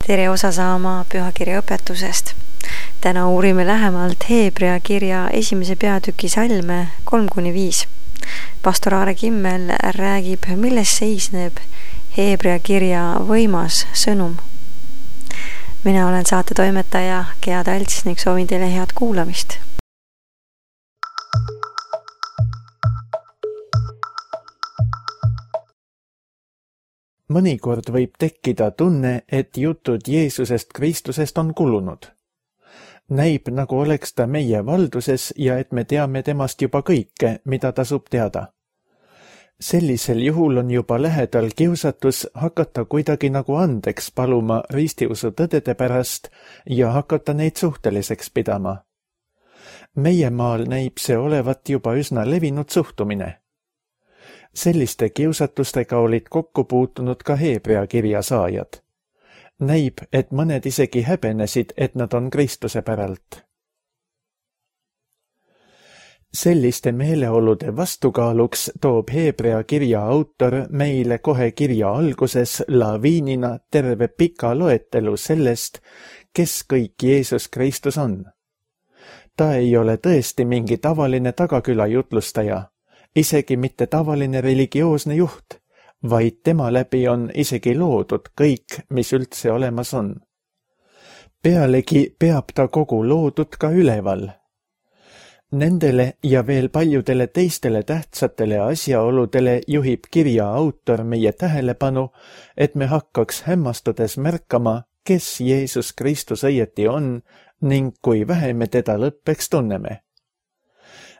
tere osa saama pühakirja õpetusest. Täna uurime lähemalt Heebrea kirja 1. peatüki salme 3-5. Pastor Aare Kimmel räägib, milles seisneb Heebrea kirja võimas sõnum. Mina olen saate toimetaja Gea Talts ning soovin teile head kuulamist. Mõnikord võib tekkida tunne, et jutud Jeesusest Kristusest on kulunud. Näib, nagu oleks ta meie valduses ja et me teame temast juba kõike, mida tasub teada. Sellisel juhul on juba lähedal kiusatus hakata kuidagi nagu andeks paluma ristiusu tõdede pärast ja hakata neid suhteliseks pidama. Meie maal näib see olevat juba üsna levinud suhtumine. Selliste kiusatustega olid kokku puutunud ka Heebrea kirja saajad. Näib, et mõned isegi häbenesid, et nad on Kristuse päralt. Selliste meeleolude vastukaaluks toob Heebrea kirja autor meile kohe kirja alguses laviinina terve pika loetelu sellest, kes kõik Jeesus Kristus on. Ta ei ole tõesti mingi tavaline tagaküla jutlustaja, isegi mitte tavaline religioosne juht, vaid tema läbi on isegi loodud kõik, mis üldse olemas on. Pealegi peab ta kogu loodud ka üleval. Nendele ja veel paljudele teistele tähtsatele asjaoludele juhib kirja autor meie tähelepanu, et me hakkaks hämmastudes märkama, kes Jeesus Kristus õieti on ning kui vähe me teda lõppeks tunneme.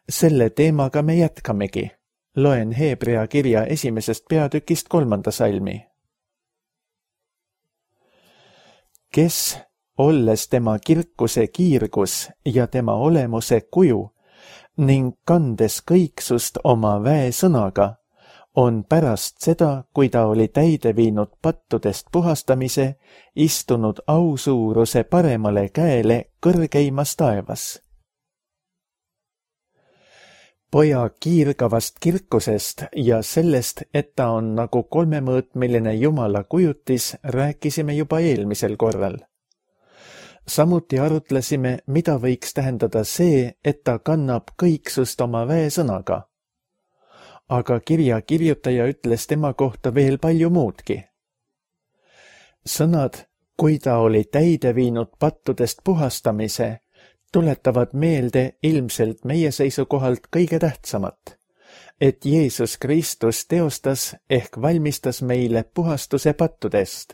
Selle teemaga me jätkamegi. Loen Heebrea kirja 1. peatükist 3. salmi. Kes, olles tema kirkuse kiirgus ja tema olemuse kuju ning kandes kõiksust oma väesõnaga, on pärast seda, kui ta oli täide viinud pattudest puhastamise, istunud ausuuruse paremale käele kõrgeimas taevas. Poja kiirgavast kirkusest ja sellest, et ta on nagu kolmemõõtmiline Jumala kujutis, rääkisime juba eelmisel korral. Samuti arutlesime, mida võiks tähendada see, et ta kannab kõiksust oma väesõnaga. Aga kirja kirjutaja ütles tema kohta veel palju muudki. Sõnad, kui ta oli täide viinud pattudest puhastamise, tuletavad meelde ilmselt meie seisukohalt kõige tähtsamat, et Jeesus Kristus teostas ehk valmistas meile puhastuse pattudest.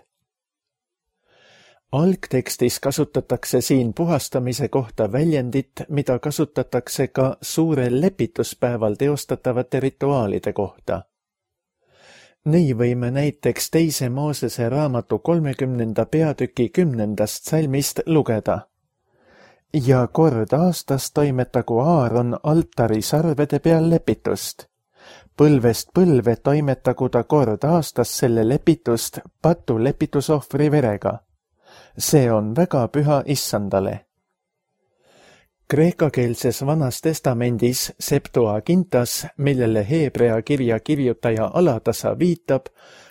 Algtekstis kasutatakse siin puhastamise kohta väljendit, mida kasutatakse ka suurel lepituspäeval teostatavate rituaalide kohta. Nii võime näiteks 2. Moosese raamatu 30. peatüki 10. salmist lugeda. Ja kord aastas toimetagu Aaron altari sarvede peal lepitust. Põlvest põlve toimetagu ta kord aastas selle lepitust patu lepitusohvri verega. See on väga püha Issandale. Kreekakeelses Vanas Testamendis Septuagintas, millele Heebrea kirja kirjutaja alatasa viitab,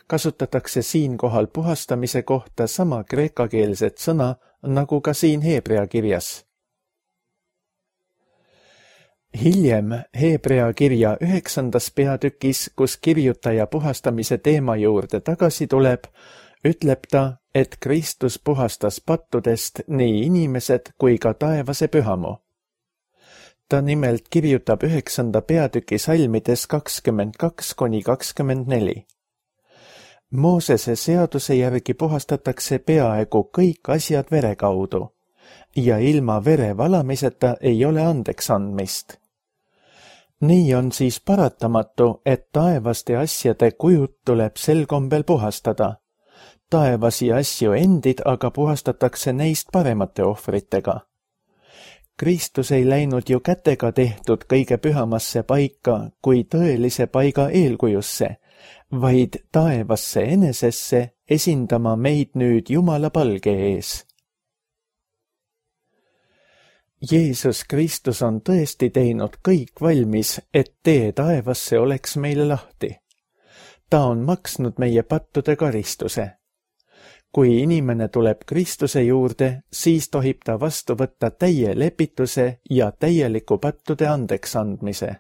kasutatakse siinkohal puhastamise kohta sama kreekakeelset sõna nagu ka siin Heebrea kirjas. Hiljem Heebrea kirja 9. peatükis, kus kirjutaja puhastamise teema juurde tagasi tuleb, ütleb ta, et Kristus puhastas pattudest nii inimesed kui ka taevase pühamu. Ta nimelt kirjutab 9. peatüki salmides 22-24. Moosese seaduse järgi puhastatakse peaaegu kõik asjad vere kaudu ja ilma vere valamiseta ei ole andeks andmist. Nii on siis paratamatu, et taevaste asjade kujud tuleb sel kombel puhastada. Taevasi asju endid aga puhastatakse neist paremate ohvritega. Kristus ei läinud ju kätega tehtud kõige pühamasse paika kui tõelise paiga eelkujusse, vaid taevasse enesesse esindama meid nüüd Jumala palge ees. Jeesus Kristus on tõesti teinud kõik valmis, et tee taevasse oleks meile lahti. Ta on maksnud meie pattude karistuse. kui inimene tuleb Kristuse juurde, siis tohib ta vastu võtta täie lepituse ja täieliku pattude andeks andmise.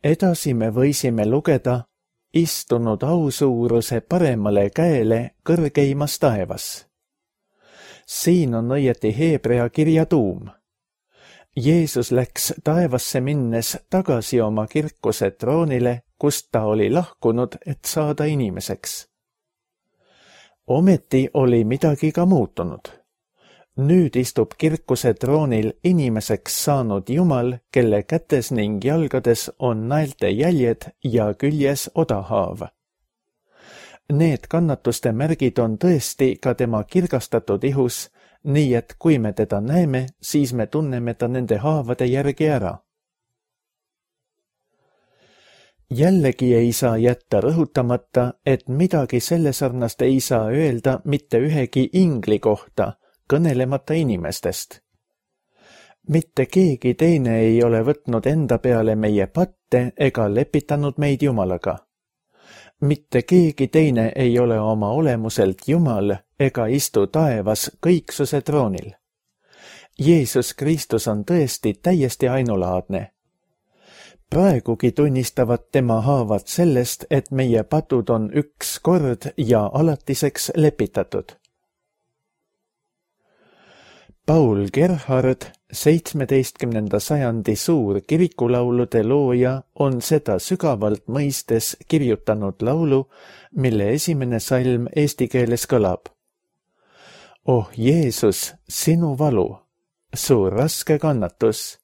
Edasi me võisime lugeda istunud ausuuruse paremale käele kõrgeimas taevas. Siin on õieti Hebrea kirja tuum. Jeesus läks taevasse minnes tagasi oma kirkuse troonile, kust ta oli lahkunud, et saada inimeseks. Ometi oli midagi ka muutunud. Nüüd istub kirkuse troonil inimeseks saanud Jumal, kelle kätes ning jalgades on naelte jäljed ja küljes odahaav. Need kannatuste märgid on tõesti ka tema kirgastatud ihus, nii et kui me teda näeme, siis me tunneme ta nende haavade järgi ära. Jällegi ei saa jätta rõhutamata, et midagi selle sarnast ei saa öelda mitte ühegi ingli kohta, kõnelemata inimestest. Mitte keegi teine ei ole võtnud enda peale meie patte ega lepitanud meid Jumalaga. Mitte keegi teine ei ole oma olemuselt Jumal ega istu taevas kõiksuse troonil. Jeesus Kristus on tõesti täiesti ainulaadne. Praegugi tunnistavad tema haavad sellest, et meie patud on üks kord ja alatiseks lepitatud. Paul Gerhard, 17. sajandi suur kirikulaulude looja, on seda sügavalt mõistes kirjutanud laulu, mille esimene salm eesti keeles kõlab. Oh Jeesus, sinu valu, su raske kannatus,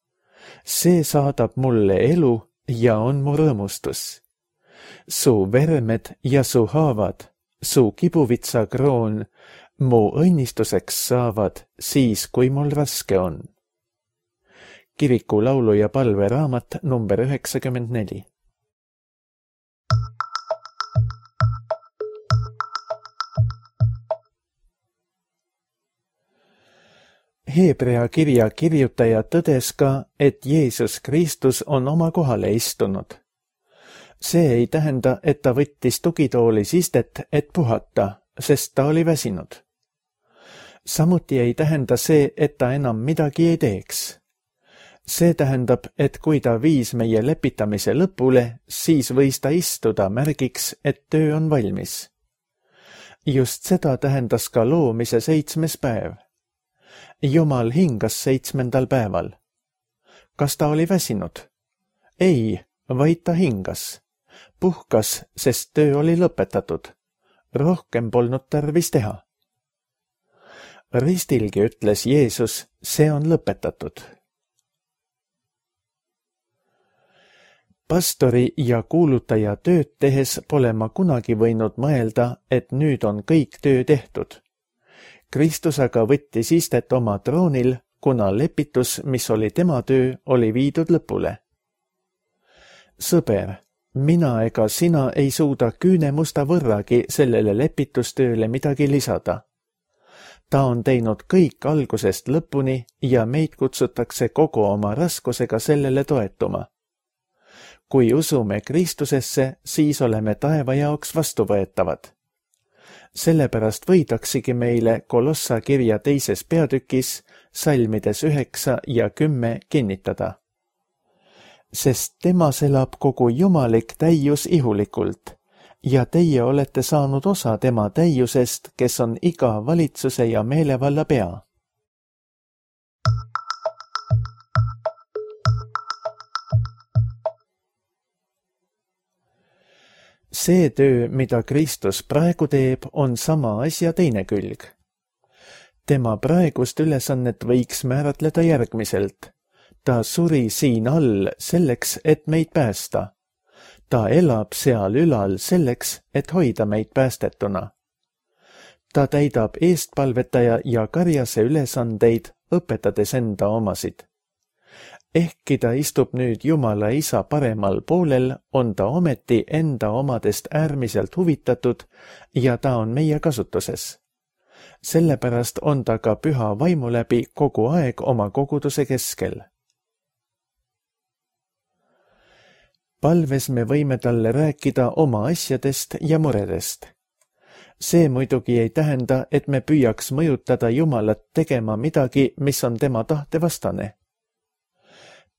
see saadab mulle elu ja on mu rõõmustus. Su vermed ja su haavad, su kibuvitsa kroon, mu õnnistuseks saavad siis, kui mul raske on. Kiriku laulu ja palve raamat number 94. Hebrea kirja kirjutaja tõdes ka, et Jeesus Kristus on oma kohale istunud. See ei tähenda, et ta võttis tugitoolis istet, et puhata, sest ta oli väsinud. Samuti ei tähenda see, et ta enam midagi ei teeks. See tähendab, et kui ta viis meie lepitamise lõpule, siis võis ta istuda märgiks, et töö on valmis. Just seda tähendas ka loomise 7. päev. Jumal hingas 7. päeval. Kas ta oli väsinud? Ei, vaid ta hingas. Puhkas, sest töö oli lõpetatud. Rohkem polnud tarvis teha. Ristilgi ütles Jeesus, see on lõpetatud. Pastori ja kuulutaja tööd tehes pole ma kunagi võinud mõelda, et nüüd on kõik töö tehtud. Kristus aga võttis istet oma troonil, kuna lepitus, mis oli tema töö, oli viidud lõpule. Sõber, mina ega sina ei suuda küünemusta võrragi sellele lepitustööle midagi lisada. Ta on teinud kõik algusest lõpuni ja meid kutsutakse kogu oma raskusega sellele toetuma. Kui usume Kristusesse, siis oleme taeva jaoks vastuvõetavad. Sellepärast võidaksigi meile Kolossa kirja 2. peatükis, salmides 9 ja 10 kinnitada. Sest temas elab kogu jumalik täius ihulikult, ja teie olete saanud osa tema täiusest, kes on iga valitsuse ja meelevalla pea. See töö, mida Kristus praegu teeb, on sama asja teine külg. Tema praegust ülesannet võiks määratleda järgmiselt. Ta suri siin all selleks, et meid päästa. Ta elab seal ülal selleks, et hoida meid päästetuna. Ta täidab eestpalvetaja ja karjase ülesandeid, õpetades enda omasid. Ehkki ta istub nüüd Jumala Isa paremal poolel, on ta ometi enda omadest äärmiselt huvitatud ja ta on meie kasutuses. Sellepärast on ta ka püha vaimu läbi kogu aeg oma koguduse keskel. palves me võime talle rääkida oma asjadest ja muredest. See muidugi ei tähenda, et me püüaks mõjutada Jumalat tegema midagi, mis on tema tahte vastane.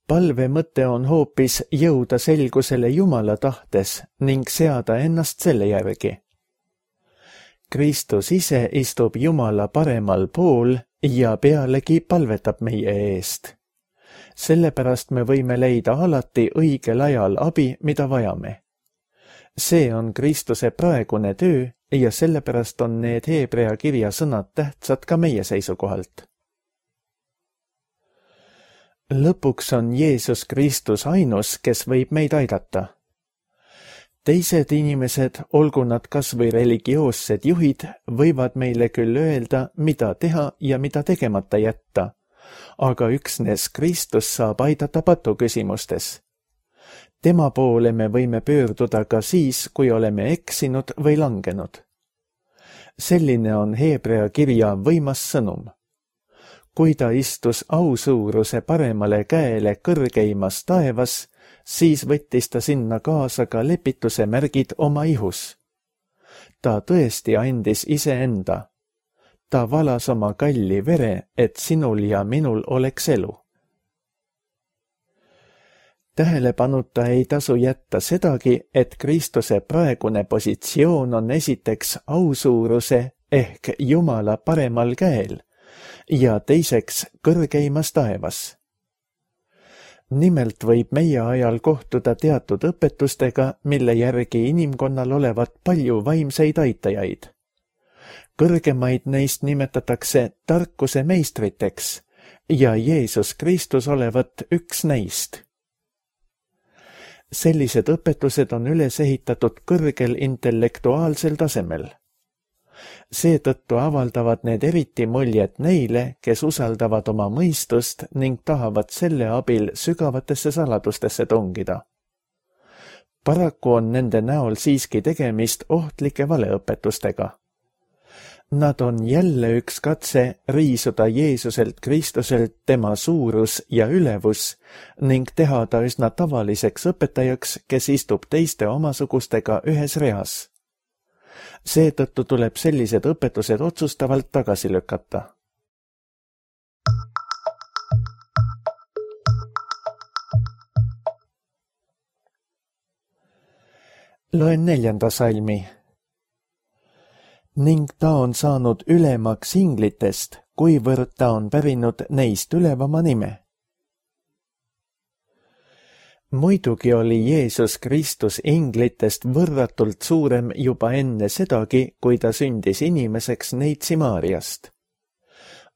Palve mõte on hoopis jõuda selgusele Jumala tahtes ning seada ennast selle järgi. Kristus ise istub Jumala paremal pool ja pealegi palvetab meie eest. Sellepärast me võime leida alati õigel ajal abi, mida vajame. See on Kristuse praegune töö ja sellepärast on need Hebrea kirja sõnad tähtsad ka meie seisukohalt. Lõpuks on Jeesus Kristus ainus, kes võib meid aidata. Teised inimesed, olgu nad kas või religioossed juhid, võivad meile küll öelda, mida teha ja mida tegemata jätta, aga üksnes Kristus saab aidata patuküsimustes. Tema poole me võime pöörduda ka siis, kui oleme eksinud või langenud. Selline on Hebrea kirja võimas sõnum. Kui ta istus ausuuruse paremale käele kõrgeimas taevas, siis võttis ta sinna kaasa ka lepituse märgid oma ihus. Ta tõesti andis iseenda. Ta valas oma kalli vere, et sinul ja minul oleks elu. Tähelepanuta ei tasu jätta sedagi, et Kristuse praegune positsioon on esiteks ausuuruse ehk Jumala paremal käel ja teiseks kõrgeimas taevas. Nimelt võib meie ajal kohtuda teatud õpetustega, mille järgi inimkonnal olevat palju vaimseid aitajaid. Kõrgemaid neist nimetatakse tarkuse meistriteks ja Jeesus Kristus olevat üks neist. Sellised õpetused on üles ehitatud kõrgel intellektuaalsel tasemel. Seetõttu avaldavad need eriti muljet neile, kes usaldavad oma mõistust ning tahavad selle abil sügavatesse saladustesse tungida. Paraku on nende näol siiski tegemist ohtlike valeõpetustega. Nad on jälle üks katse riisuda Jeesuselt Kristuselt tema suurus ja ülevus ning teha ta üsna tavaliseks õpetajaks, kes istub teiste omasugustega ühes reas. Seetõttu tuleb sellised õpetused otsustavalt tagasi lükata. Loen 4. salmi. Ning ta on saanud ülemaks inglitest, kuivõrd ta on pärinud neist ülevama nime. Muidugi oli Jeesus Kristus inglitest võrratult suurem juba enne sedagi, kui ta sündis inimeseks Neitsi Maariast.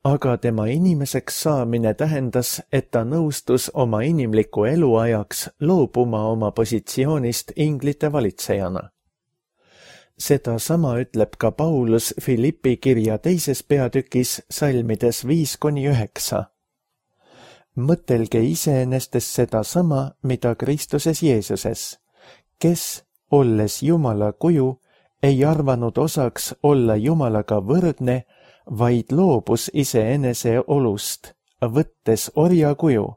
Aga tema inimeseks saamine tähendas, et ta nõustus oma inimliku eluajaks loobuma oma positsioonist inglite valitsejana. Seda sama ütleb ka Paulus Filippi kirja 2. peatükis salmides 5-9. Mõtelge iseenestes seda sama, mida Kristuses Jeesuses, kes, olles Jumala kuju, ei arvanud osaks olla Jumalaga võrdne, vaid loobus iseenese olust, võttes orja kuju,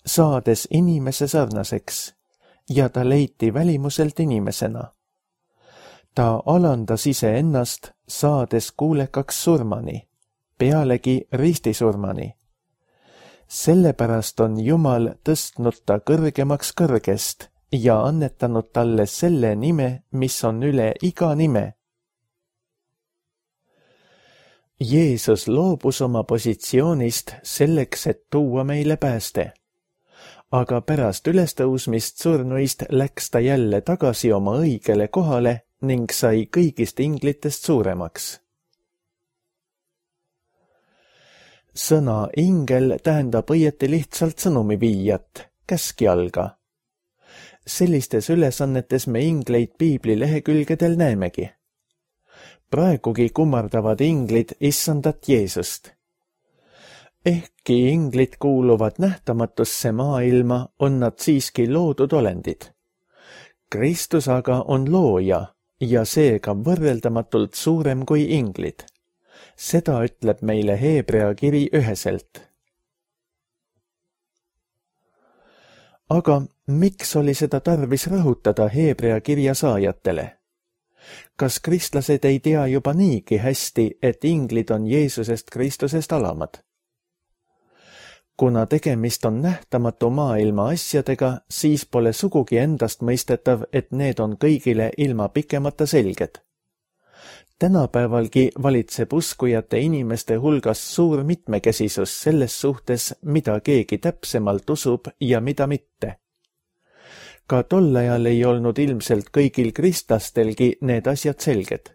saades inimese sarnaseks, ja ta leiti välimuselt inimesena. Ta alandas iseennast, saades kuulekaks surmani, pealegi ristisurmani. Sellepärast on Jumal tõstnud ta kõrgemaks kõrgest ja annetanud talle selle nime, mis on üle iga nime. Jeesus loobus oma positsioonist selleks, et tuua meile pääste. Aga pärast ülestõusmist surnuist läks ta jälle tagasi oma õigele kohale ning sai kõigist inglitest suuremaks. Sõna ingel tähendab õieti lihtsalt sõnumiviijat, käskjalga. Sellistes ülesannetes me ingleid piibli lehekülgedel näemegi. Praegugi kummardavad inglid issandat Jeesust. Ehkki inglid kuuluvad nähtamatusse maailma, on nad siiski loodud olendid. Kristus aga on looja ja seega võrreldamatult suurem kui inglid. Seda ütleb meile Hebrea kiri üheselt. Aga Miks oli seda tarvis rõhutada Heebrea kirja saajatele? Kas kristlased ei tea juba niigi hästi, et inglid on Jeesusest Kristusest alamad? Kuna tegemist on nähtamatu maailma asjadega, siis pole sugugi endastmõistetav, et need on kõigile ilma pikemata selged. Tänapäevalgi valitseb uskujate inimeste hulgas suur mitmekesisus selles suhtes, mida keegi täpsemalt usub ja mida mitte. Ka tol ajal ei olnud ilmselt kõigil kristlastelgi need asjad selged.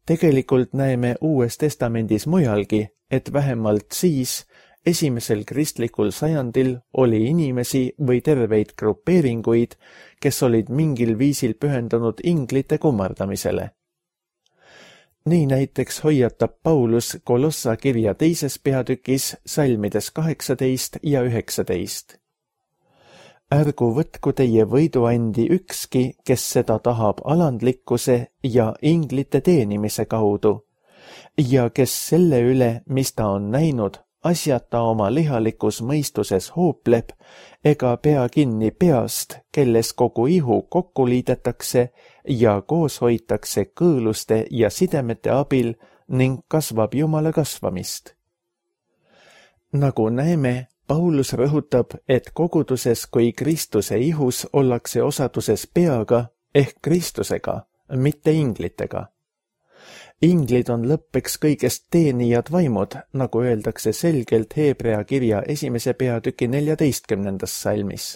Tegelikult näeme Uues Testamendis mujalgi, et vähemalt siis, esimesel kristlikul sajandil oli inimesi või terveid grupeeringuid, kes olid mingil viisil pühendunud inglite kummardamisele. Nii näiteks hoiatab Paulus Kolossa kirja 2. peatükis salmides 18 ja 19. Ärgu võtku teie võiduandi ükski, kes seda tahab alandlikkuse ja inglite teenimise kaudu, ja kes selle üle, mis ta on näinud, asjata oma lihalikus mõistuses hoopleb, ega pea kinni peast, kelles kogu ihu kokku liidetakse ja koos hoitakse kõõluste ja sidemete abil ning kasvab Jumala kasvamist. Nagu näeme, Paulus rõhutab, et koguduses kui Kristuse ihus ollakse osaduses peaga ehk Kristusega, mitte inglitega. Inglid on lõppeks kõigest teenijad vaimud, nagu öeldakse selgelt Heebrea kirja 1. peatüki 14. salmis.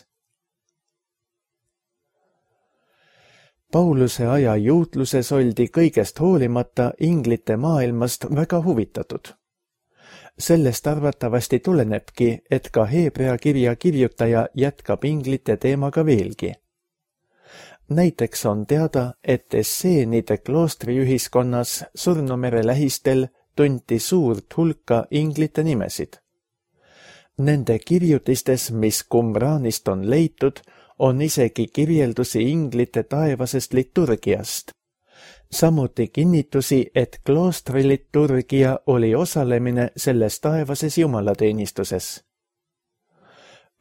Pauluse aja juutluses oldi kõigest hoolimata inglite maailmast väga huvitatud. Sellest arvatavasti tulenebki, et ka Heebrea kirja kirjutaja jätkab inglite teemaga veelgi. Näiteks on teada, et Esseenide kloostriühiskonnas Surnumere lähistel tunti suurt hulka inglite nimesid. Nende kirjutistes, mis Qumranist on leitud, on isegi kirjeldusi inglite taevasest liturgiast. Samuti kinnitusi, et kloostriliturgia oli osalemine selles taevases jumalateenistuses.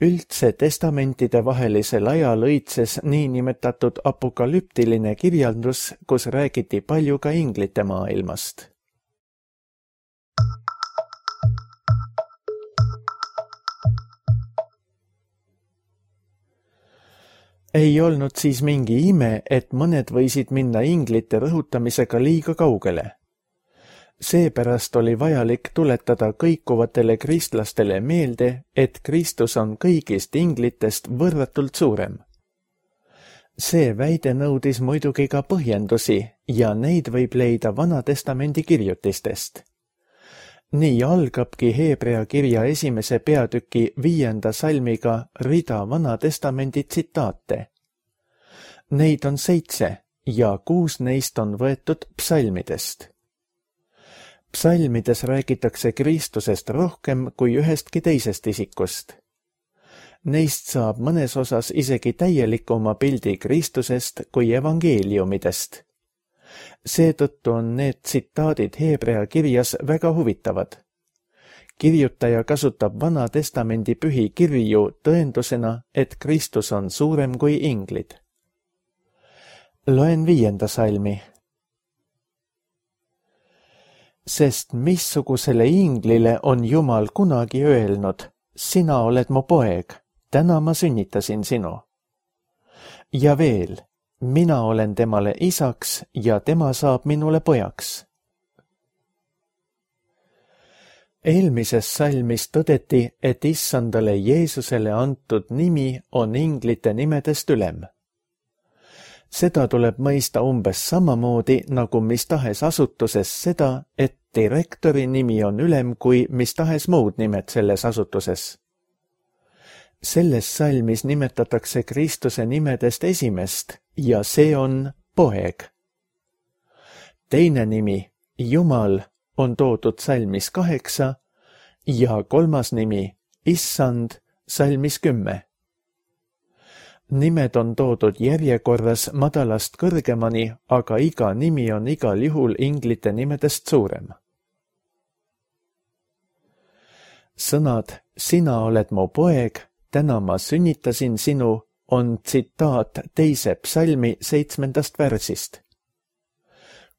Üldse testamentide vahelisel ajal õitses niinimetatud apokalüptiline kirjandus, kus räägiti palju ka inglite maailmast. Ei olnud siis mingi ime, et mõned võisid minna inglite rõhutamisega liiga kaugele. Seepärast oli vajalik tuletada kõikuvatele kristlastele meelde, et Kristus on kõigist inglitest võrratult suurem. See väide nõudis muidugi ka põhjendusi ja neid võib leida Vana-testamendi kirjutistest. Nii algabki Heebrea kirja 1. peatüki 5. salmiga rida Vana-testamendi tsitaate. Neid on 7 ja 6 neist on võetud psalmidest. Psalmides räägitakse Kristusest rohkem kui ühestki teisest isikust. Neist saab mõnes osas isegi täielikuma pildi Kristusest kui evangeeliumidest. Seetõttu on need tsitaadid Heebrea kirjas väga huvitavad. Kirjutaja kasutab Vana-testamendi pühi kirju tõendusena, et Kristus on suurem kui inglid. Loen 5. salmi. Sest missugusele inglile on Jumal kunagi öelnud, sina oled mu poeg, täna ma sünnitasin sinu. Ja veel, mina olen temale isaks ja tema saab minule pojaks. Eelmises salmis tõdeti, et issandale Jeesusele antud nimi on inglite nimedest ülem. Seda tuleb mõista umbes samamoodi nagu mis tahes asutuses seda, et direktori nimi on ülem kui mis tahes muud nimed selles asutuses. Selles salmis nimetatakse Kristuse nimedest esimest ja see on poeg. Teine nimi, Jumal, on toodud salmis 8 ja 3. nimi, Issand, salmis 10. Nimed on toodud järjekorras madalast kõrgemani, aga iga nimi on igal juhul inglite nimedest suurem. Sõnad, sina oled mu poeg, täna ma sünnitasin sinu, on tsitaat 2. psalmi 7. värsist.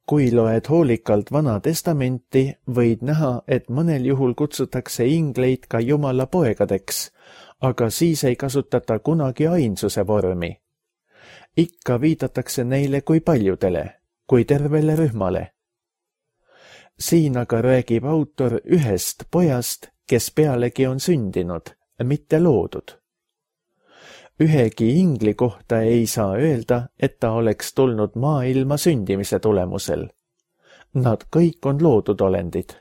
Kui loed hoolikalt Vana Testamenti, võid näha, et mõnel juhul kutsutakse ingleid ka Jumala poegadeks, aga siis ei kasutata kunagi ainsuse vormi. Ikka viidatakse neile kui paljudele, kui tervele rühmale. Siin aga räägib autor ühest pojast, kes pealegi on sündinud, mitte loodud. Ühegi ingli kohta ei saa öelda, et ta oleks tulnud maailma sündimise tulemusel. Nad kõik on loodud olendid.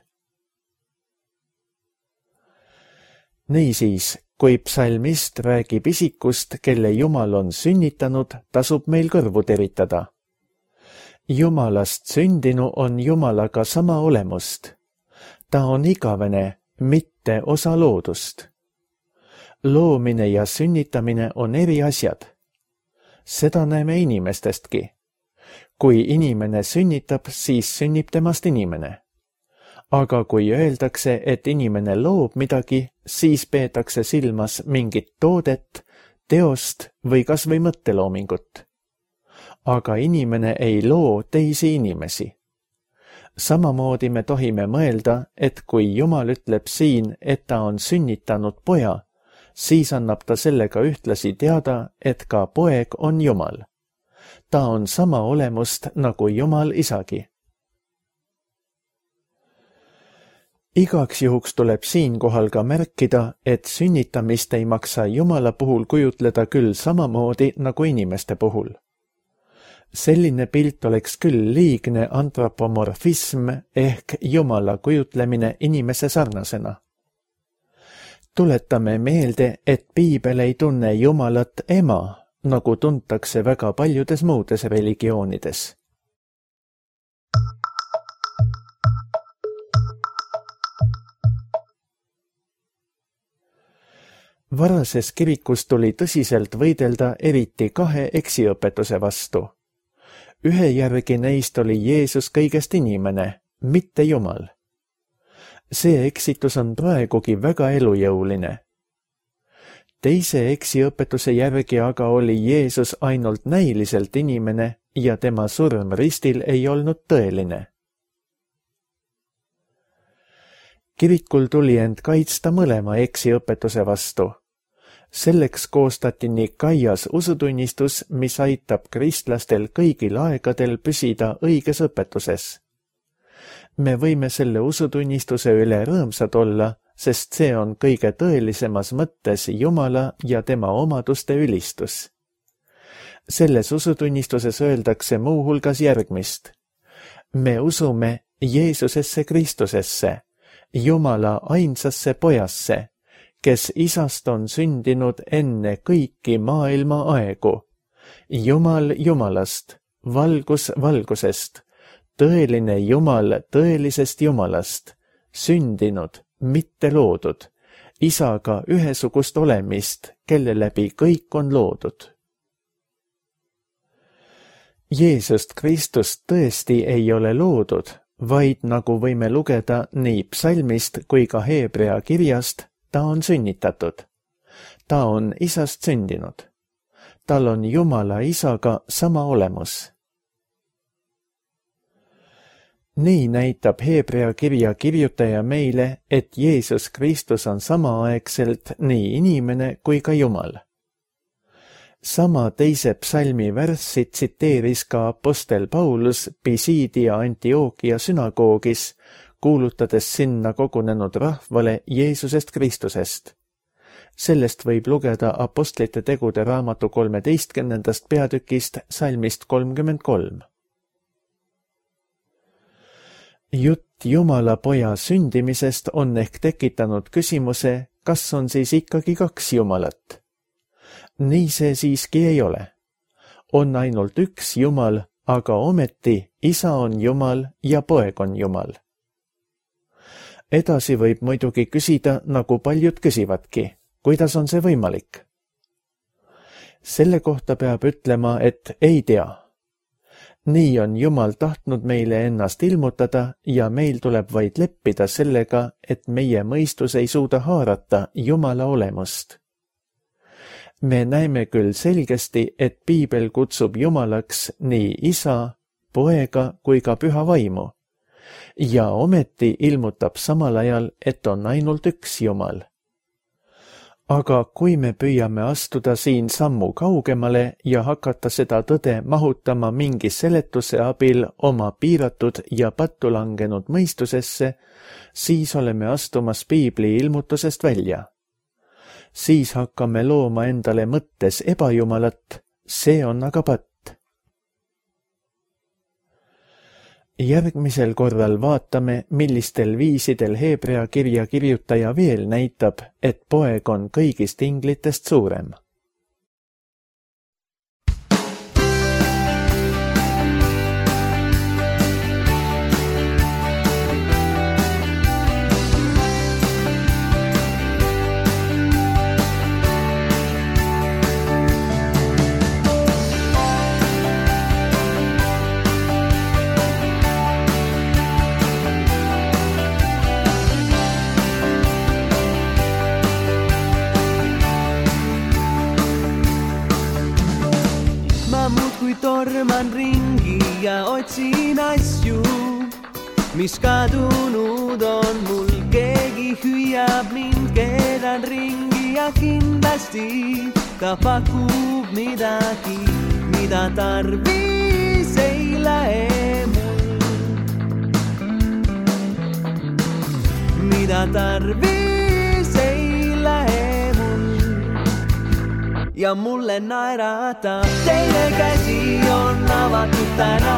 Niisiis, kui psalmist räägib isikust, kelle Jumal on sünnitanud, tasub meil kõrvu teritada. Jumalast sündinu on Jumalaga sama olemust. Ta on igavene, mitte osa loodust. Loomine ja sünnitamine on eri asjad. Seda näeme inimestestki. Kui inimene sünnitab, siis sünnib temast inimene. Aga kui öeldakse, et inimene loob midagi, siis peetakse silmas mingit toodet, teost või kas või mõtteloomingut. Aga inimene ei loo teisi inimesi. Samamoodi me tohime mõelda, et kui Jumal ütleb siin, et ta on sünnitanud poja, siis annab ta sellega ühtlasi teada, et ka poeg on Jumal. Ta on sama olemust nagu Jumal isagi. Igaks juhuks tuleb siinkohal ka märkida, et sünnitamist ei maksa Jumala puhul kujutleda küll samamoodi nagu inimeste puhul. Selline pilt oleks küll liigne antropomorfism ehk Jumala kujutlemine inimese sarnasena. Tuletame meelde, et Piibel ei tunne Jumalat ema, nagu tuntakse väga paljudes muudes religioonides. Varases kirikus tuli tõsiselt võidelda eriti kahe eksiõpetuse vastu. Ühe järgi neist oli Jeesus kõigest inimene, mitte Jumal. See eksitus on praegugi väga elujõuline. Teise eksiõpetuse järgi aga oli Jeesus ainult näiliselt inimene ja tema surm ristil ei olnud tõeline. Kirikul tuli end kaitsta mõlema eksiõpetuse vastu. Selleks koostati Nikaias usutunnistus, mis aitab kristlastel kõigil aegadel püsida õiges õpetuses. Me võime selle usutunnistuse üle rõõmsad olla, sest see on kõige tõelisemas mõttes Jumala ja tema omaduste ülistus. Selles usutunnistuses öeldakse muu hulgas järgmist. Me usume Jeesusesse Kristusesse, Jumala ainsasse pojasse, kes isast on sündinud enne kõiki maailma aegu. Jumal Jumalast, valgus valgusest, tõeline Jumal tõelisest Jumalast, sündinud, mitte loodud, isaga ühesugust olemist, kelle läbi kõik on loodud. Jeesust Kristust tõesti ei ole loodud, vaid nagu võime lugeda nii psalmist kui ka Heebrea kirjast, ta on sünnitatud. Ta on isast sündinud. Tal on Jumala isaga sama olemus. Nii näitab Heebrea kirja kirjutaja meile, et Jeesus Kristus on samaaegselt nii inimene kui ka Jumal. Sama teise psalmi värssi tsiteeris ka apostel Paulus Pisidia Antiokia sünagoogis, kuulutades sinna kogunenud rahvale Jeesusest Kristusest. Sellest võib lugeda Apostlite tegude raamatu 13. peatükist salmist 33. Jutt Jumala poja sündimisest on ehk tekitanud küsimuse, kas on siis ikkagi kaks Jumalat. Nii see siiski ei ole. On ainult üks Jumal, aga ometi isa on Jumal ja poeg on Jumal. Edasi võib muidugi küsida, nagu paljud küsivadki, kuidas on see võimalik? Selle kohta peab ütlema, et ei tea. Nii on Jumal tahtnud meile ennast ilmutada ja meil tuleb vaid leppida sellega, et meie mõistus ei suuda haarata Jumala olemust. Me näeme küll selgesti, et piibel kutsub Jumalaks nii Isa, Poega kui ka Püha Vaimu. Ja ometi ilmutab samal ajal, et on ainult üks Jumal. Aga kui me püüame astuda siin sammu kaugemale ja hakata seda tõde mahutama mingi seletuse abil oma piiratud ja pattu langenud mõistusesse, siis oleme astumas piibli ilmutusest välja. Siis hakkame looma endale mõttes ebajumalat, see on aga patt. Järgmisel korral vaatame, millistel viisidel Heebrea kirja kirjutaja veel näitab, et Poeg on kõigist inglitest suurem. Torman ringi ja otsin asju, mis kadunud on mul. Keegi hüüab mind, keeran ringi ja kindlasti ta pakub midagi, mida tarvis ei lähe mul. Mida tarvis ei lähe mul. Ja mulle naeratab, teine käsi on avatud täna.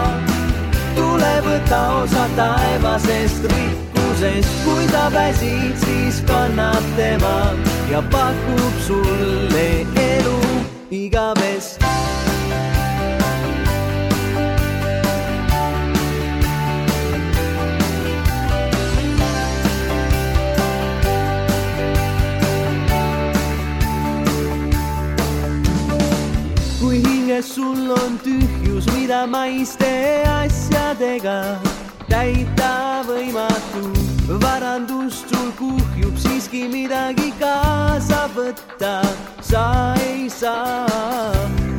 Tule võta osa taevasest rikkusest, kui ta väsid, siis kannab tema ja pakub sulle elu igavest. Sul on tühjus, mida maiste asjadega täita võimatu. Varandust sul kuhjub, siiski midagi kaasa võtta sa ei saa.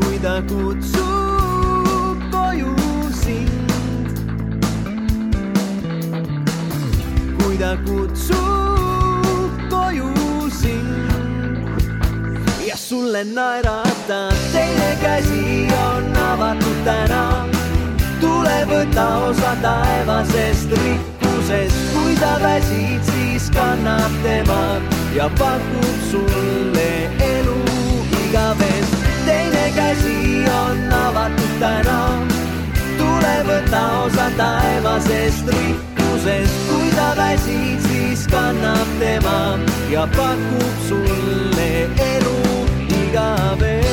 Kui ta kutsub koju sind, kui ta kutsub koju sind ja sulle naeratab, teine käsi on avatud täna. Tule võta osa taevasest rikkusest, kui ta väsid, siis kannab tema ja pakub sulle elu igavest. Teine käsi on avatud täna. Tule võta osa taevasest rikkusest, kui ta väsid, siis kannab tema ja pakub sulle elu igavest.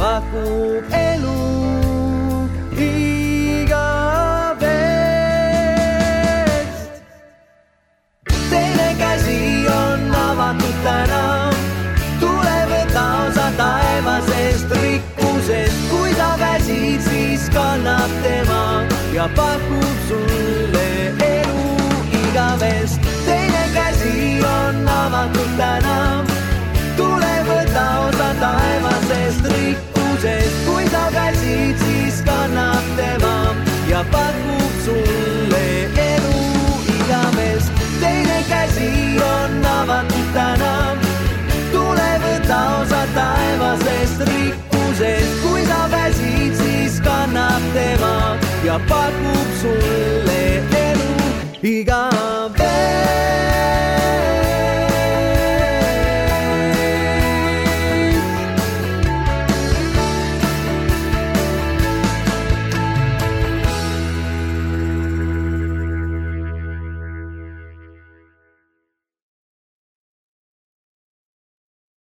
Pakub elu igavest. Teine käsi on avatud täna. Tule võta osa taevasest rikkusest, kui ta väsid, siis kannab tema ja pakub sulle elu igavest. Teine käsi on avatud täna. Tule võta osa taevasest rikkusest, kui ta väsid, siis kannab tema ja pakub sulle elu igavest. Teine käsi on avatud täna. Tule võta osa taevasest rikkusest, kui ta väsid, siis kannab tema ja pakub sulle elu igavest.